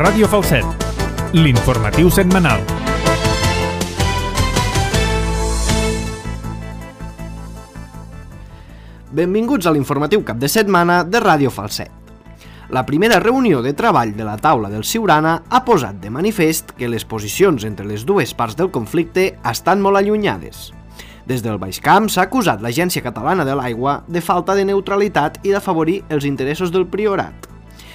Ràdio Falset, l'informatiu setmanal. Benvinguts a l'informatiu cap de setmana de Ràdio Falset. La primera reunió de treball de la taula del Siurana ha posat de manifest que les posicions entre les dues parts del conflicte estan molt allunyades. Des del Baix Camp s'ha acusat l'Agència Catalana de l'Aigua de falta de neutralitat i d'afavorir els interessos del Priorat.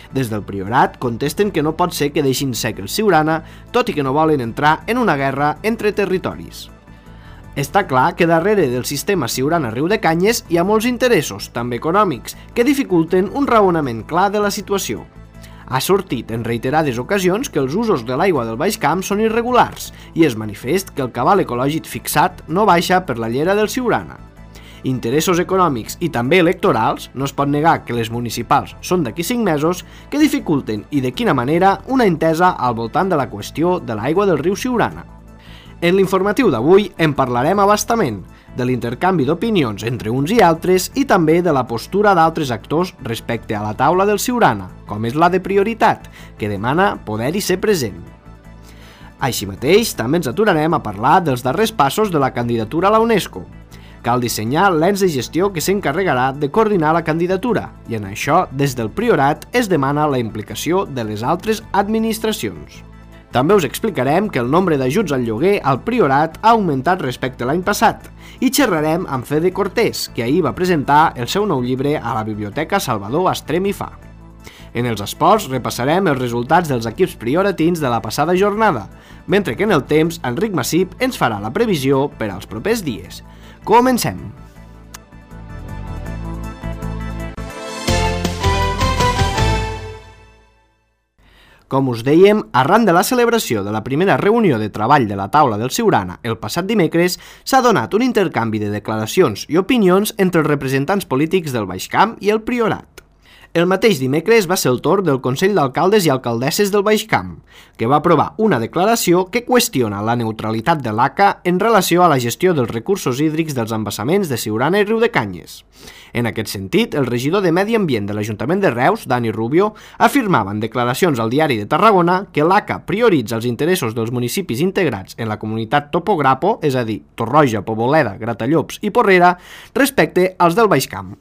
Des del Priorat contesten que no pot ser que deixin sec el Siurana, tot i que no volen entrar en una guerra entre territoris. Està clar que darrere del sistema Siurana-Riudecanyes hi ha molts interessos, també econòmics, que dificulten un raonament clar de la situació. Ha sortit en reiterades ocasions que els usos de l'aigua del Baix Camp són irregulars i és manifest que el cabal ecològic fixat no baixa per la llera del Siurana. Interessos econòmics i també electorals, no es pot negar que les municipals són d'aquí 5 mesos, que dificulten i de quina manera una entesa al voltant de la qüestió de l'aigua del riu Siurana. En l'informatiu d'avui en parlarem a bastament, de l'intercanvi d'opinions entre uns i altres i també de la postura d'altres actors respecte a la taula del Siurana, com és la de Prioritat, que demana poder-hi ser present. Així mateix, també ens aturarem a parlar dels darrers passos de la candidatura a la UNESCO. Cal dissenyar l'ens de gestió que s'encarregarà de coordinar la candidatura i en això, des del Priorat, es demana la implicació de les altres administracions. També us explicarem que el nombre d'ajuts al lloguer al Priorat ha augmentat respecte a l'any passat i xerrarem amb Fede Cortés, que ahir va presentar el seu nou llibre a la Biblioteca Salvador Estrem i Fa. En els esports repassarem els resultats dels equips prioratins de la passada jornada, mentre que en el temps Enric Massip ens farà la previsió per als propers dies. Comencem! Com us dèiem, arran de la celebració de la primera reunió de treball de la taula del Siurana el passat dimecres, s'ha donat un intercanvi de declaracions i opinions entre els representants polítics del Baix Camp i el Priorat. El mateix dimecres va ser el torn del Consell d'Alcaldes i Alcaldesses del Baix Camp, que va aprovar una declaració que qüestiona la neutralitat de l'ACA en relació a la gestió dels recursos hídrics dels embassaments de Siurana i Riudecanyes. En aquest sentit, el regidor de Medi Ambient de l'Ajuntament de Reus, Dani Rubio, afirmava en declaracions al Diari de Tarragona que l'ACA prioritza els interessos dels municipis integrats en la comunitat Topograpo, és a dir, Torroja, Poboleda, Gratallops i Porrera, respecte als del Baix Camp.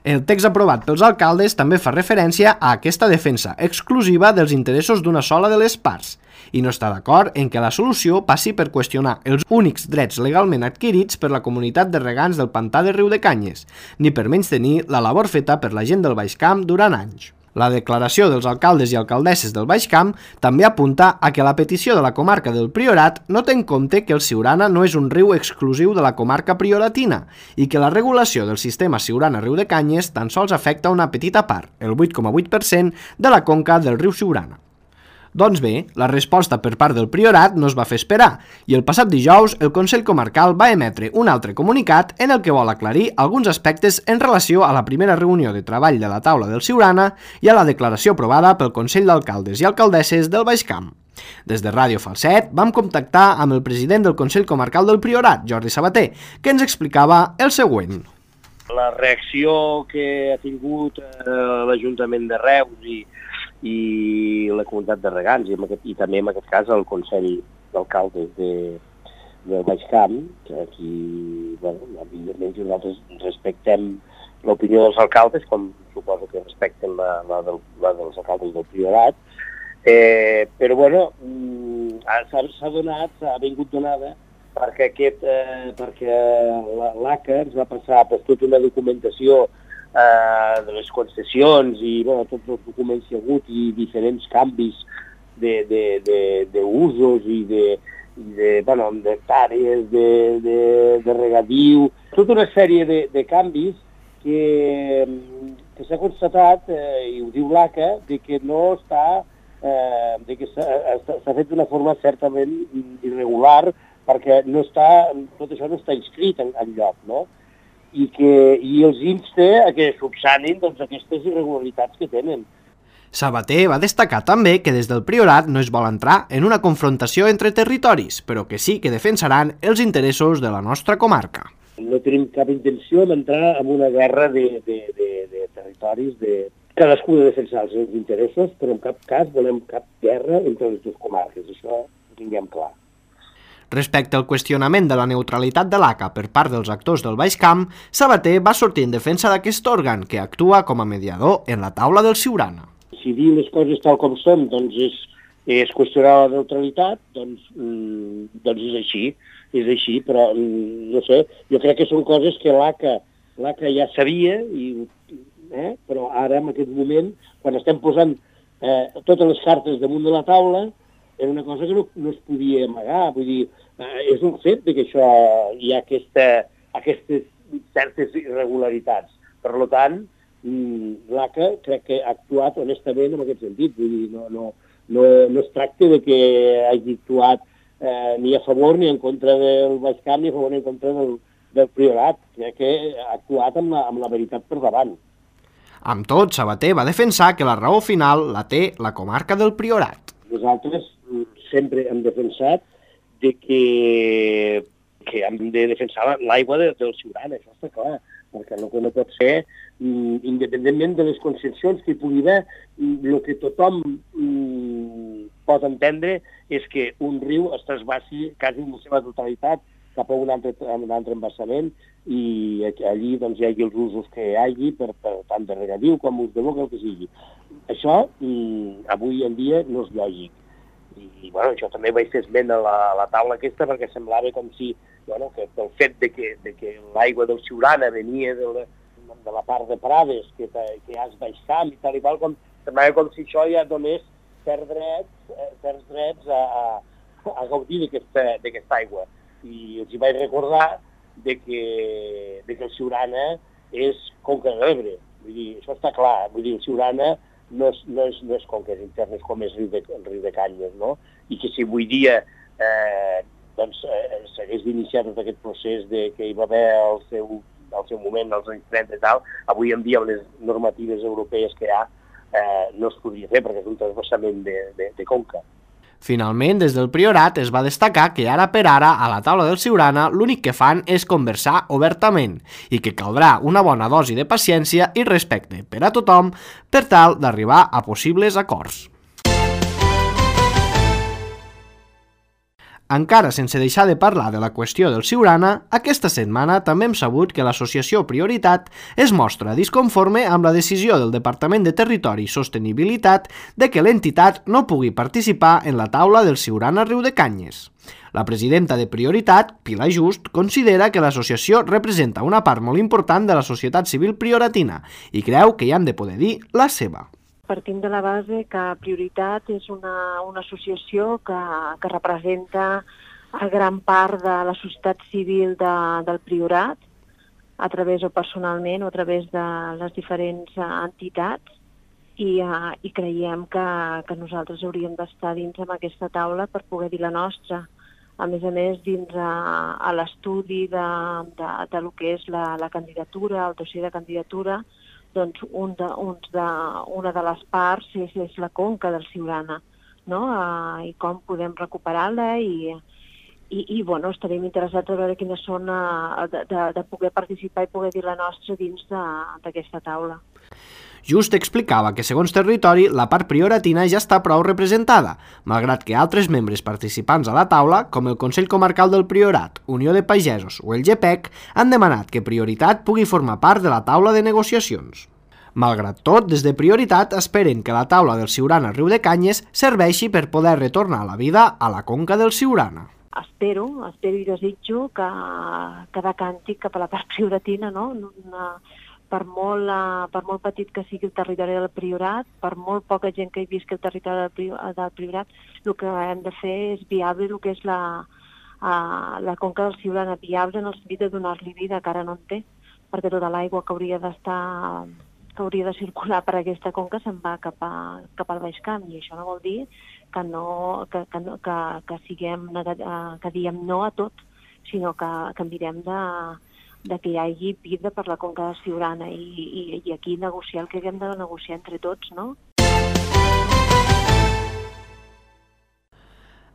El text aprovat pels alcaldes també fa referència a aquesta defensa exclusiva dels interessos d'una sola de les parts i no està d'acord en què la solució passi per qüestionar els únics drets legalment adquirits per la comunitat de regants del pantà de Riudecanyes, ni per menystenir la labor feta per la gent del Baix Camp durant anys. La declaració dels alcaldes i alcaldesses del Baix Camp també apunta a que la petició de la comarca del Priorat no té en compte que el Siurana no és un riu exclusiu de la comarca prioratina i que la regulació del sistema Siurana-Riudecanyes tan sols afecta una petita part, el 8,8% de la conca del riu Siurana. Doncs bé, la resposta per part del Priorat no es va fer esperar i el passat dijous el Consell Comarcal va emetre un altre comunicat en el que vol aclarir alguns aspectes en relació a la primera reunió de treball de la taula del Siurana i a la declaració aprovada pel Consell d'Alcaldes i Alcaldesses del Baix Camp. Des de Ràdio Falset vam contactar amb el president del Consell Comarcal del Priorat, Jordi Sabater, que ens explicava el següent. La reacció que ha tingut l'Ajuntament de Reus i la comunitat de regants i també en aquest cas el Consell d'Alcaldes del Baix Camp, que aquí, evidentment, nosaltres respectem l'opinió dels alcaldes, com suposo que respecten la dels alcaldes del Priorat, però s'ha vingut donada perquè l'ACA ens va passar per tota una documentació de les concessions i tots els documents que hi ha hagut i diferents canvis d'usos i d'hectàrees, de regadiu, tota una sèrie de canvis que s'ha constatat, i ho diu l'ACA, que no està, que s'ha fet d'una forma certament irregular perquè tot això no està inscrit enlloc, no? I els insta a que subsanin aquestes irregularitats que tenen. Sabater va destacar també que des del Priorat no es vol entrar en una confrontació entre territoris, però que sí que defensaran els interessos de la nostra comarca. No tenim cap intenció d'entrar en una guerra de territoris cadascú de defensar els seus interessos, però en cap cas volem cap guerra entre les dues comarques, això ho tinguem clar. Respecte al qüestionament de la neutralitat de l'ACA per part dels actors del Baix Camp, Sabater va sortir en defensa d'aquest òrgan que actua com a mediador en la taula del Siurana. Si dir les coses tal com són doncs és qüestionar la neutralitat, doncs és així, però no sé, jo crec que són coses que l'ACA ja sabia, però ara en aquest moment, quan estem posant totes les cartes damunt de la taula, era una cosa que no es podia amagar, vull dir, és un fet que això hi ha aquestes certes irregularitats. Per tant, l'ACA crec que ha actuat honestament en aquest sentit, vull dir, no es tracta de que hagi actuat ni a favor ni en contra del Baix Camp ni a favor ni en contra del Priorat, crec que ha actuat amb la veritat per davant. Amb tot, Sabater va defensar que la raó final la té la comarca del Priorat. Nosaltres sempre hem defensat que hem de defensar l'aigua del Siurana, això està clar, perquè el que no pot ser, independentment de les concessions que hi pugui haver, el que tothom pot entendre és que un riu es trasbassi quasi en la seva totalitat cap a un altre embassament i allí doncs, hi hagi els usos que hi hagi, per tant de regadiu com ús de boca, el que sigui. Això avui en dia no és lògic. I això també vaig fer esment a la taula aquesta perquè semblava com si que pel fet de que l'aigua del Siurana venia de la part de Prades, que hi ha el Baix Camp i tal i qual, semblava com si això ja donés certs drets a gaudir d'aquesta aigua. I els hi vaig recordar que el Siurana és conca de l'Ebre. Vull dir, això està clar. Vull dir, el Siurana no és conques internes com és el riu de Canyes, no? I que si avui dia s'hagués d'iniciar tot aquest procés que hi va haver al seu moment, als anys 30 i tal, avui en dia amb les normatives europees que hi ha no es podria fer perquè és un transvassament de conca. Finalment, des del Priorat es va destacar que ara per ara, a la taula del Siurana, l'únic que fan és conversar obertament i que caldrà una bona dosi de paciència i respecte per a tothom per tal d'arribar a possibles acords. Encara sense deixar de parlar de la qüestió del Siurana, aquesta setmana també hem sabut que l'associació Prioritat es mostra disconforme amb la decisió del Departament de Territori i Sostenibilitat de que l'entitat no pugui participar en la taula del Siurana Riu de Canyes. La presidenta de Prioritat, Pilar Just, considera que l'associació representa una part molt important de la societat civil prioratina i creu que hi han de poder dir la seva. Partim de la base que Prioritat és una associació que representa a gran part de la societat civil del Priorat, a través o personalment o a través de les diferents entitats, i creiem que nosaltres hauríem d'estar dins amb aquesta taula per poder dir la nostra. A més, dins a l'estudi de lo que és la candidatura, el dossier de candidatura, doncs una de les parts és la conca del Siurana, no? I com podem recuperar-la i estarem interessats a veure quines són de poder participar i poder dir la nostra dins d'aquesta taula. Just explicava que, segons territori, la part prioratina ja està prou representada, malgrat que altres membres participants a la taula, com el Consell Comarcal del Priorat, Unió de Pagesos o el GPEC, han demanat que Prioritat pugui formar part de la taula de negociacions. Malgrat tot, des de Prioritat esperen que la taula del Siurana Riu de Canyes serveixi per poder retornar la vida a la conca del Siurana. Espero i desitjo que decanti cap a la part prioratina, no? Per molt petit que sigui el territori del Priorat, per molt poca gent que hi visqui el territori del Priorat, el que hem de fer és viable el que és la conca del Siurana, viable en el sentit de donar-li vida, que ara no en té, perquè tota l'aigua que hauria de circular per aquesta conca se'n va cap al Baix Camp, i això no vol dir que diguem no a tot, sinó que mirem de que hi hagi vida per la conca del Siurana i aquí negociar el que haguem de negociar entre tots, no?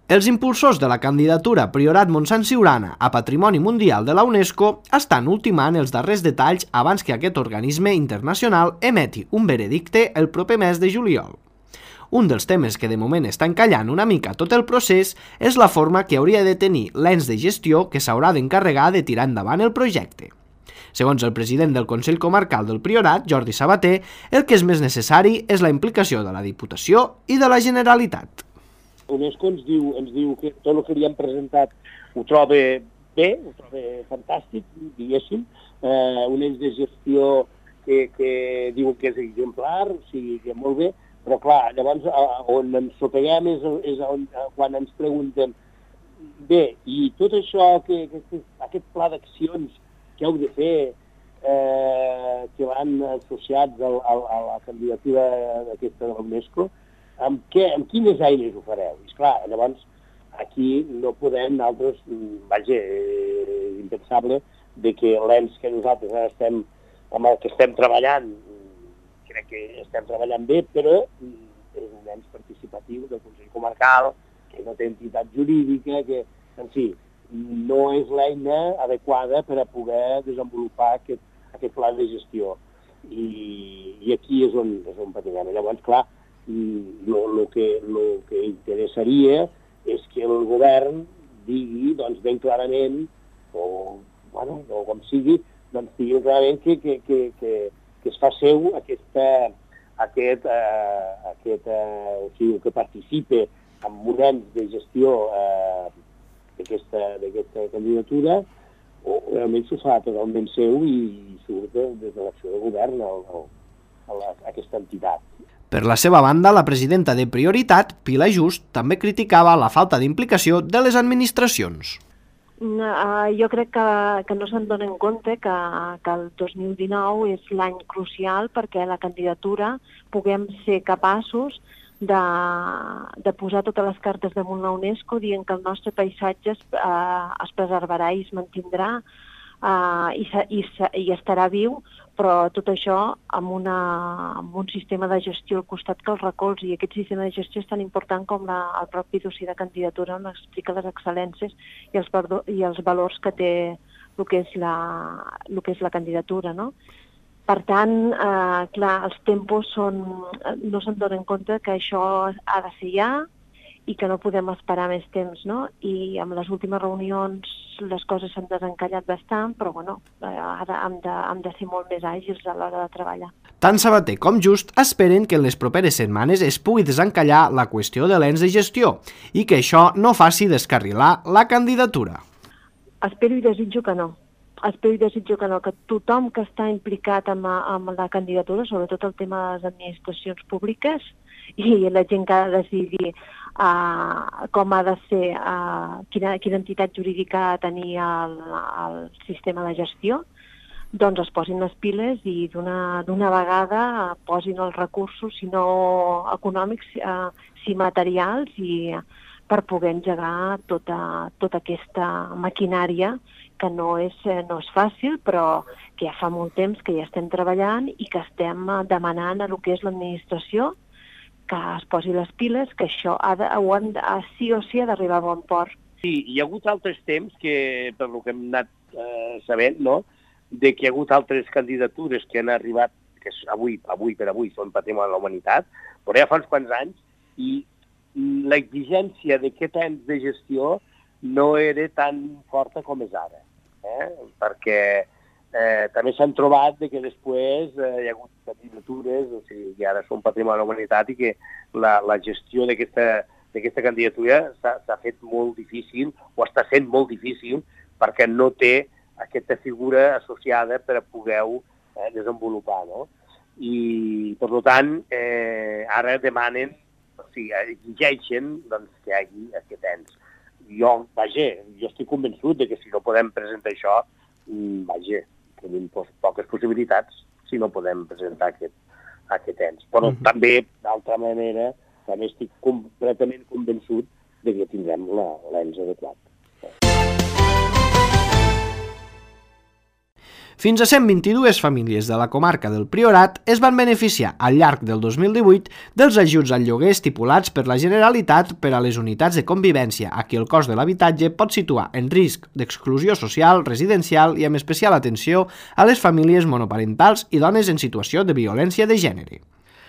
Els impulsors de la candidatura Priorat Montsant Siurana a Patrimoni Mundial de la UNESCO estan ultimant els darrers detalls abans que aquest organisme internacional emeti un veredicte el proper mes de juliol. Un dels temes que de moment està encallant una mica tot el procés és la forma que hauria de tenir l'ens de gestió que s'haurà d'encarregar de tirar endavant el projecte. Segons el president del Consell Comarcal del Priorat, Jordi Sabater, el que és més necessari és la implicació de la Diputació i de la Generalitat. UNESCO ens diu que tot el que li hem presentat ho troba bé, ho troba fantàstic, diguéssim, un ens de gestió que diuen que és exemplar, o sigui que molt bé, però clar, llavors on ens sopeguem és quan ens pregunten bé, i tot això, aquest pla d'accions que heu de fer, que van associats a la candidatura d'aquesta de l'UNESCO, amb quines eines ho fareu? I esclar, llavors aquí no podem nosaltres, vaja, és impensable de que l'ens que nosaltres ara estem, amb el que estem treballant, crec que estem treballant bé, però és un ens participatiu del Consell Comarcal, que no té entitat jurídica, que, en fi, no és l'eina adequada per a poder desenvolupar aquest pla de gestió. I aquí és on patim. Llavors, clar, el que interessaria és que el govern digui doncs, ben clarament, o com sigui, doncs, digui clarament que es fa seu o sigui, que participe en un ens de gestió d'aquesta candidatura, o realment s'ho fa totalment seu i surt des de l'acció de govern a aquesta entitat. Per la seva banda, la presidenta de Prioritat, Pilar Just, també criticava la falta d'implicació de les administracions. Jo crec que no se'n donen compte que el 2019 és l'any crucial perquè la candidatura puguem ser capaços de posar totes les cartes damunt la UNESCO dient que el nostre paisatge es preservarà i es mantindrà i estarà viu, però tot això amb un sistema de gestió al costat que el recolzi. I aquest sistema de gestió és tan important com el propi dossier de candidatura on explica les excel·lències i els valors que té el que és la candidatura, no? Per tant, clar, els tempos no se'n donen compte que això ha de ser ja i que no podem esperar més temps, no? I amb les últimes reunions les coses s'han desencallat bastant, però bueno, ara hem de ser molt més àgils a l'hora de treballar. Tant Sabater com Just esperen que en les properes setmanes es pugui desencallar la qüestió de l'ens de gestió i que això no faci descarrilar la candidatura. Espero i desitjo que no. Que tothom que està implicat amb la candidatura, sobretot el tema de les administracions públiques i la gent que ha de decidir com ha de ser, quina entitat jurídica ha de tenir el sistema de gestió, doncs es posin les piles i d'una vegada posin els recursos, si no econòmics, si materials, i per poder engegar tota aquesta maquinària que no és fàcil, però que ja fa molt temps que ja estem treballant i que estem demanant a el que és l'administració que es posi les piles, que això sí o sí ha d'arribar a bon port. Sí, hi ha hagut altres temps que, per el que hem anat sabent, no?, de que hi ha hagut altres candidatures que han arribat, que avui són patrimoni de la humanitat, però ja fa uns quants anys, i l'exigència d'aquest ens de gestió no era tan forta com és ara, perquè també s'han trobat que després hi ha hagut candidatures, o sigui, que ara són patrimoni de la humanitat i que la gestió d'aquesta candidatura s'ha fet molt difícil, o està sent molt difícil, perquè no té aquesta figura associada per a poder-ho desenvolupar, no? I, per tant, ara demanen, o sigui, exigeixen que hi hagi aquest ens. Jo estic convençut que si no podem presentar això, tenim poques possibilitats si no podem presentar aquest ens. Però també, d'altra manera, també estic completament convençut que tindrem l'ens adequat. Fins a 122 famílies de la comarca del Priorat es van beneficiar al llarg del 2018 dels ajuts al lloguer estipulats per la Generalitat per a les unitats de convivència a qui el cost de l'habitatge pot situar en risc d'exclusió social, residencial i amb especial atenció a les famílies monoparentals i dones en situació de violència de gènere.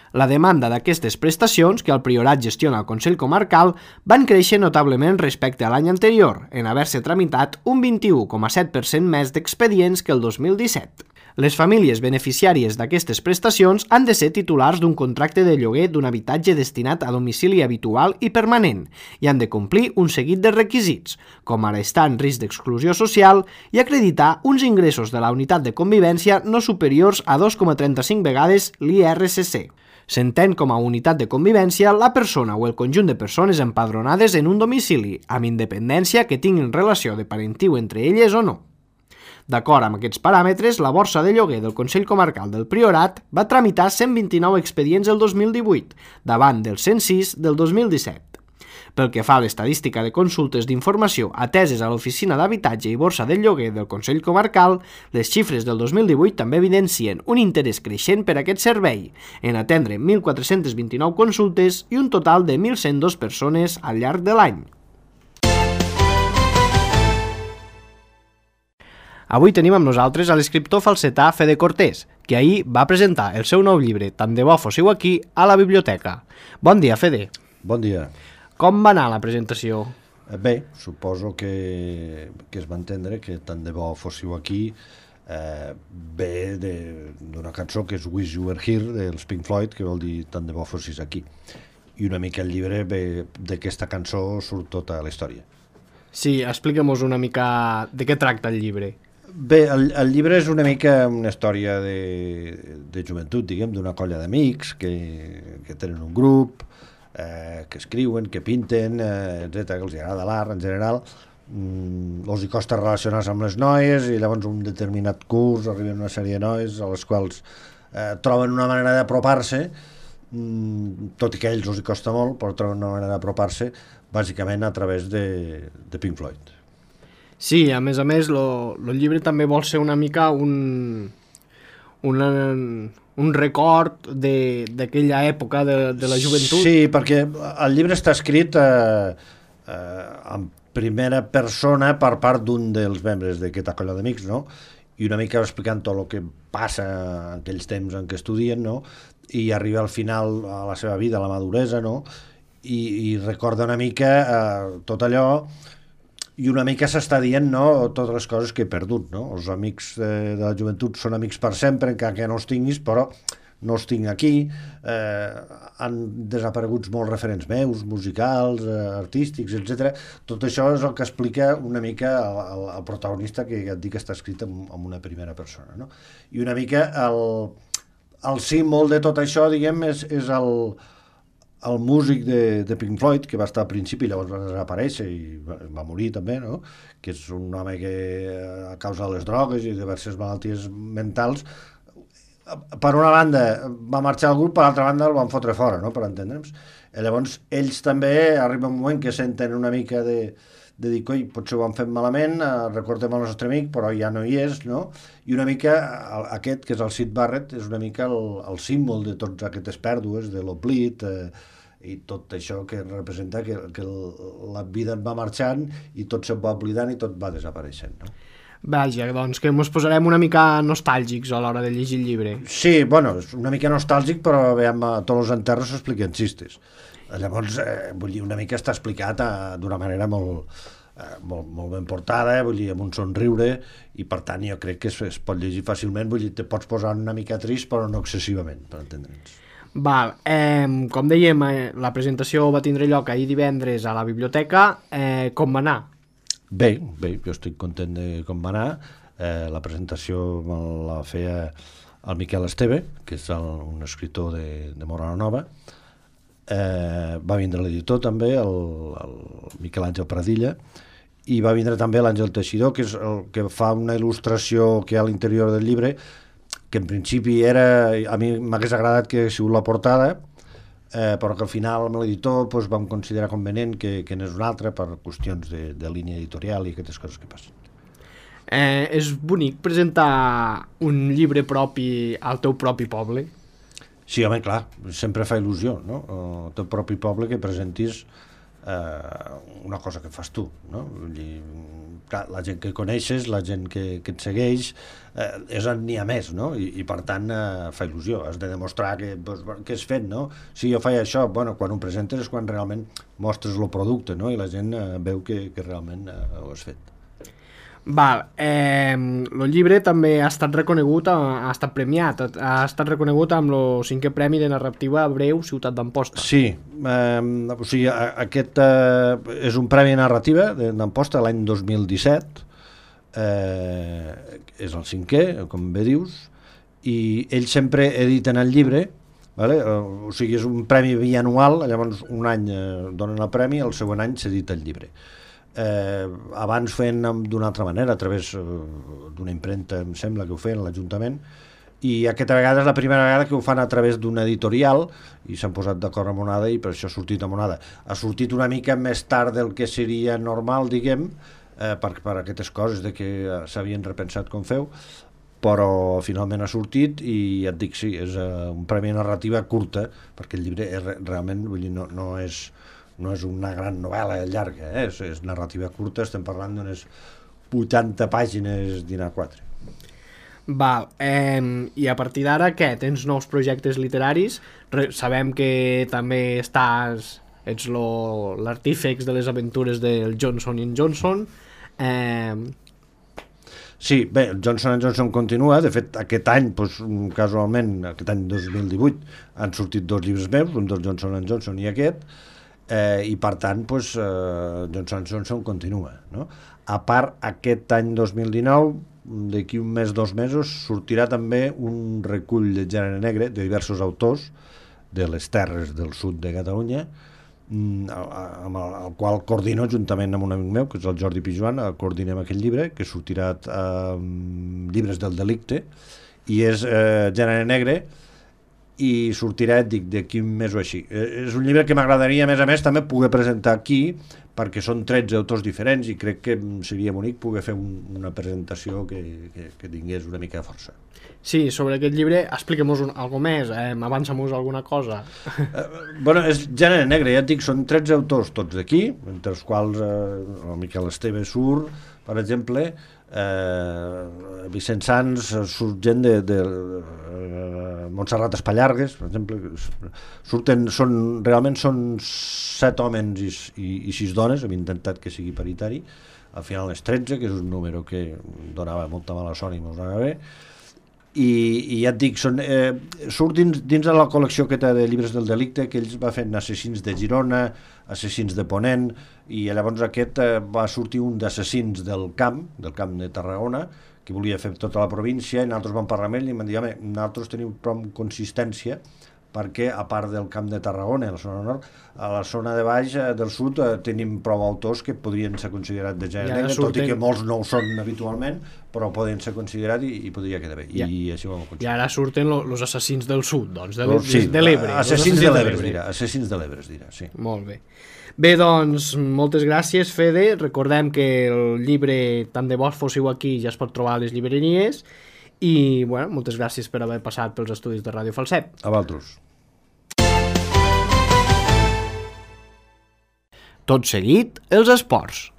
La demanda d'aquestes prestacions, que el Priorat gestiona el Consell Comarcal, van créixer notablement respecte a l'any anterior, en haver-se tramitat un 21,7% més d'expedients que el 2017. Les famílies beneficiàries d'aquestes prestacions han de ser titulars d'un contracte de lloguer d'un habitatge destinat a domicili habitual i permanent i han de complir un seguit de requisits, com ara estar en risc d'exclusió social i acreditar uns ingressos de la unitat de convivència no superiors a 2,35 vegades l'IRCC. S'entén com a unitat de convivència la persona o el conjunt de persones empadronades en un domicili, amb independència que tinguin relació de parentiu entre elles o no. D'acord amb aquests paràmetres, la borsa de lloguer del Consell Comarcal del Priorat va tramitar 129 expedients el 2018, davant dels 106 del 2017. Pel que fa a l'estadística de consultes d'informació ateses a l'Oficina d'Habitatge i Borsa del Lloguer del Consell Comarcal, les xifres del 2018 també evidencien un interès creixent per aquest servei, en atendre 1.429 consultes i un total de 1.102 persones al llarg de l'any. Avui tenim amb nosaltres a l'escriptor falsetà Fede Cortés, que ahir va presentar el seu nou llibre Tant de bo fóssiu aquí a la biblioteca. Bon dia, Fede. Bon dia. Com va anar la presentació? Bé, suposo que es va entendre que Tant de bo fóssiu aquí ve d'una cançó que és Wish You Were Here dels Pink Floyd, que vol dir Tant de bo fossis aquí. I una mica el llibre ve d'aquesta cançó surt tota la història. Sí, explica'm-nos una mica de què tracta el llibre. Bé, el llibre és una mica una història de joventut, diguem, d'una colla d'amics que tenen un grup, que escriuen, que pinten, etc, que els agrada l'art en general, els hi costa relacionar-se amb les noies i llavors un determinat curs arriben una sèrie de noies a les quals troben una manera d'apropar-se, tot i que a ells els hi costa molt, però troben una manera d'apropar-se bàsicament a través de Pink Floyd. Sí, a més, el llibre també vol ser una mica un record d'aquella època de la joventut. Sí, perquè el llibre està escrit en primera persona per part d'un dels membres d'aquesta colla d'amics, no? I una mica explicant tot el que passa en aquells temps en què estudien, no? I arriba al final a la seva vida, a la maduresa, no? I recorda una mica tot allò i una mica s'està dient, no?, totes les coses que he perdut, no? Els amics de la joventut són amics per sempre, encara que no els tinguis, però no els tinc aquí, han desaparegut molts referents meus, musicals, artístics, etc. Tot això és el que explica una mica el protagonista, que ja et dic que està escrit en una primera persona, no? I una mica el símbol de tot això, diguem, és el músic de Pink Floyd, que va estar al principi, llavors va desaparèixer i va morir també, no? Que és un home que a causa de les drogues i diverses malalties mentals, per una banda va marxar al grup, per l'altra banda el van fotre fora, no?, per entendre'ns. I llavors ells també arriba un moment que senten una mica de dir, coi, potser ho han fet malament, recordem el nostre amic, però ja no hi és, no? I una mica aquest, que és el Syd Barrett, és una mica el símbol de tots aquestes pèrdues, de l'oblit, i tot això que representa que la vida et va marxant i tot se'n va oblidant i tot va desapareixent, no? Vaja, doncs que ens posarem una mica nostàlgics a l'hora de llegir el llibre. Sí, bueno, és una mica nostàlgic, però veiem, tots els enterros s'expliquen xistes. Llavors, vull dir, una mica està explicat d'una manera molt ben portada, vull dir, amb un somriure, i per tant jo crec que es pot llegir fàcilment, vull dir, te pots posar una mica trist, però no excessivament, per entendre'ns. Val, com dèiem, la presentació va tindre lloc ahir divendres a la biblioteca, com va anar? Bé, jo estic content de com va anar. La presentació me la feia el Miquel Esteve, que és un escriptor de Morana Nova. Va vindre l'editor també, el Miquel Àngel Pradilla, i va vindre també l'Àngel Teixidor, que és el que fa una il·lustració que hi ha a l'interior del llibre, que en principi a mi m'hagués agradat que hagués sigut la portada, però que al final amb l'editor vam considerar convenient que n'és una altra per qüestions de línia editorial i aquestes coses que passen. És bonic presentar un llibre propi al teu propi poble? Sí, home, clar, sempre fa il·lusió, no? El teu propi poble que presentis una cosa que fas tu, no? Vull dir, clar, la gent que coneixes, la gent que et segueix, és on n'hi ha més, no? I per tant fa il·lusió, has de demostrar que has fet, no? Si jo faig això, bueno, quan ho presentes és quan realment mostres el producte, no? I la gent veu que realment ho has fet. Val, el llibre també ha estat reconegut, ha estat premiat, ha estat reconegut amb el 5è Premi de Narrativa Breu Ciutat d'Amposta. Sí, o sigui, aquest és un premi de narrativa d'Amposta l'any 2017, és el 5è, com bé dius, i ells sempre editen el llibre, vale? O sigui, és un premi bianual, llavors un any donen el premi, el següent any s'edita el llibre. Abans feien d'una altra manera, a través d'una impremta, em sembla que ho feien a l'Ajuntament, i aquesta vegada és la primera vegada que ho fan a través d'una editorial i s'han posat d'acord amb Onada i per això ha sortit amb Onada. Ha sortit una mica més tard del que seria normal, diguem, per aquestes coses de que s'havien repensat com feu, però finalment ha sortit i ja et dic, sí, és un premi de narrativa curta, perquè el llibre és realment, vull dir, no és una gran novel·la llarga, és narrativa curta, estem parlant d'unes 80 pàgines d'Ina4. Val, i a partir d'ara què? Tens nous projectes literaris? Sabem que també ets l'artífex de les aventures del Johnson & Johnson. Sí, bé, el Johnson & Johnson continua, de fet aquest any, doncs, casualment, aquest any 2018, han sortit 2 llibres meus, un del Johnson & Johnson i aquest, i per tant doncs, Johnson & Johnson continua, no? A part, aquest any 2019, d'aquí un mes, 2 mesos, sortirà també un recull de gènere negre de diversos autors de les terres del sud de Catalunya, amb el qual coordino juntament amb un amic meu, que és el Jordi Pijuan, coordinem aquest llibre, que sortirà Llibres del delicte, i és gènere negre, i sortirà, dic, d'aquí un mes o així. És un llibre que m'agradaria, a més, també poder presentar aquí, perquè són 13 autors diferents i crec que seria bonic poder fer una presentació que tingués una mica de força. Sí, sobre aquest llibre, expliquem-nos alguna més, avança-nos alguna cosa. Bueno, és gènere negre, ja et dic, són 13 autors tots d'aquí, entre els quals el Miquel Esteve surt, per exemple, Vicent Sans, surt gent de Montserrat Espallargues, per exemple, realment són 7 homes i 6 dones, hem intentat que sigui paritari, al final és 13, que és un número que donava molta mala son i mos anava bé, i ja et dic, surt dins de la col·lecció aquesta de llibres del delicte, que ells va fent Assassins de Girona, Assassins de Ponent, i llavors aquest va sortir un d'Assassins del camp de Tarragona, que volia fer tota la província, i nosaltres vam parlar amb ell i em van dir, home, nosaltres tenim prou consistència, perquè a part del camp de Tarragona, a la zona nord, a la zona de baix del sud tenim prou autors que podrien ser considerats de gènere negre, tot i que molts no ho són habitualment, però poden ser considerats i podria quedar bé. I així ho vam aconseguir. I ara surten els assassins del sud, doncs, de l'Ebre. Assassins de l'Ebre, es dirà, sí. Molt bé. Bé, doncs, moltes gràcies, Fede. Recordem que el llibre, tant de bo fóssiu aquí, ja es pot trobar a les llibreries. I, bueno, moltes gràcies per haver passat pels estudis de Ràdio Falset. A vosaltres. Tot seguit, els esports.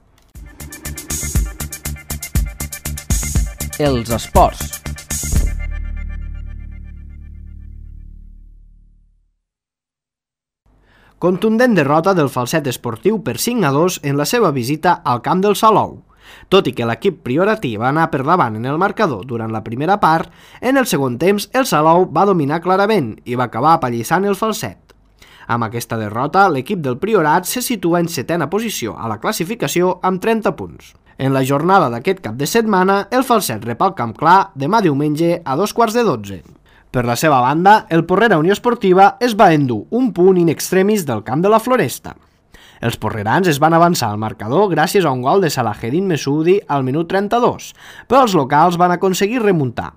Els esports. Contundent derrota del Falset Esportiu per 5-2 en la seva visita al camp del Salou. Tot i que l'equip prioratí va anar per davant en el marcador durant la primera part, en el segon temps el Salou va dominar clarament i va acabar apallissant el Falset. Amb aquesta derrota, l'equip del Priorat se situa en 7a posició a la classificació amb 30 punts. En la jornada d'aquest cap de setmana, el Falset rep al Camp Clar demà diumenge a 11:45. Per la seva banda, el Porrera Unió Esportiva es va endur un punt in extremis del camp de la Floresta. Els porrerans es van avançar al marcador gràcies a un gol de Salaheddin Messoudi al minut 32, però els locals van aconseguir remuntar.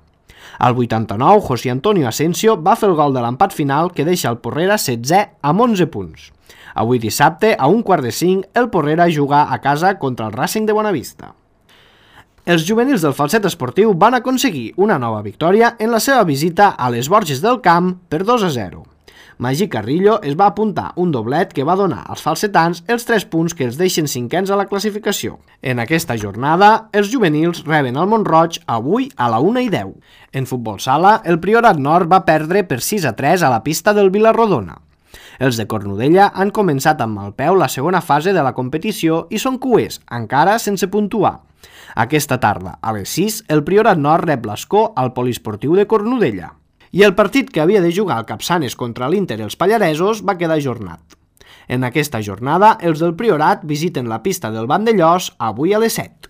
Al 89, José Antonio Asensio va fer el gol de l'empat final que deixa el Porrera 16è amb 11 punts. Avui dissabte, a 4:45, el Porrera juga a casa contra el Racing de Bonavista. Els juvenils del Falset Esportiu van aconseguir una nova victòria en la seva visita a les Borges del Camp per 2-0. Magí Carrillo es va apuntar un doblet que va donar als falsetans els 3 punts que els deixen cinquens a la classificació. En aquesta jornada, els juvenils reben el Mont-roig avui a la 1:10. En futbol sala, el Priorat Nord va perdre per 6-3 a la pista del Vilarrodona. Els de Cornudella han començat amb mal peu la segona fase de la competició i són cuers, encara sense puntuar. Aquesta tarda, a les 6, el Priorat Nord rep l'Escó al Poliesportiu de Cornudella. I el partit que havia de jugar al Capçanes contra l'Inter i els Pallaresos va quedar ajornat. En aquesta jornada, els del Priorat visiten la pista del Vandellós avui a les 7.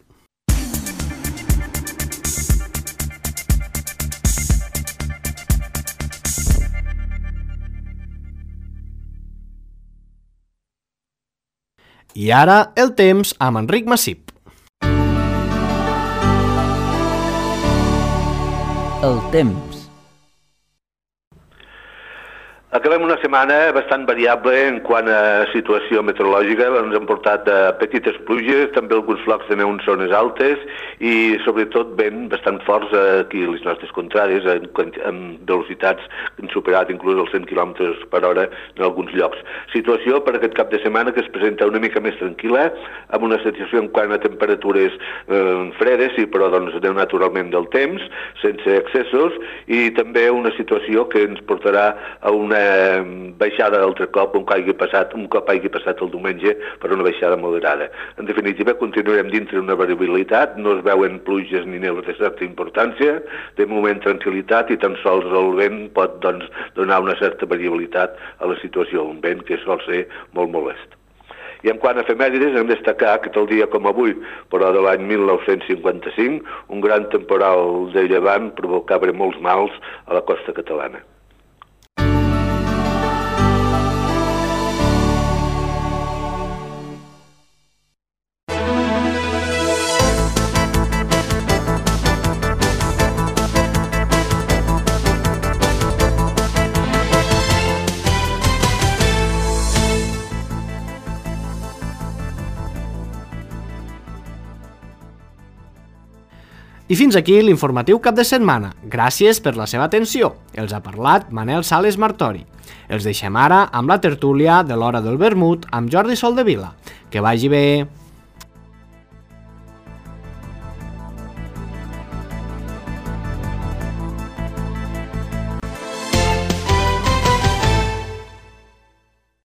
I ara, el temps amb Enric Massip. El temps. Acabem una setmana bastant variable en quant a situació meteorològica. Ens han portat petites pluges, també alguns flocs de neu en zones altes i sobretot vent bastant forts aquí a les nostres contrades, amb velocitats que han superat inclús els 100 km per hora en alguns llocs. Situació per aquest cap de setmana que es presenta una mica més tranquil·la, amb una situació en quant a temperatures fredes, sí, però doncs naturalment del temps, sense excessos, i també una situació que ens portarà a una baixada d'altre cop un cop hagi passat el diumenge, per una baixada moderada. En definitiva, continuarem dintre d'una variabilitat, no es veuen pluges ni neus de certa importància, de moment tranquil·litat i tan sols el vent pot donar una certa variabilitat a la situació, un vent que sol ser molt molest. I en quant a efemèrides, hem de destacar que tal dia com avui, però de l'any 1955, un gran temporal de llevant provocava molts mals a la costa catalana. I fins aquí l'informatiu cap de setmana. Gràcies per la seva atenció. Els ha parlat Manel Sales Martori. Els deixem ara amb la tertúlia de l'Hora del Vermut amb Jordi Soldevila. Que vagi bé!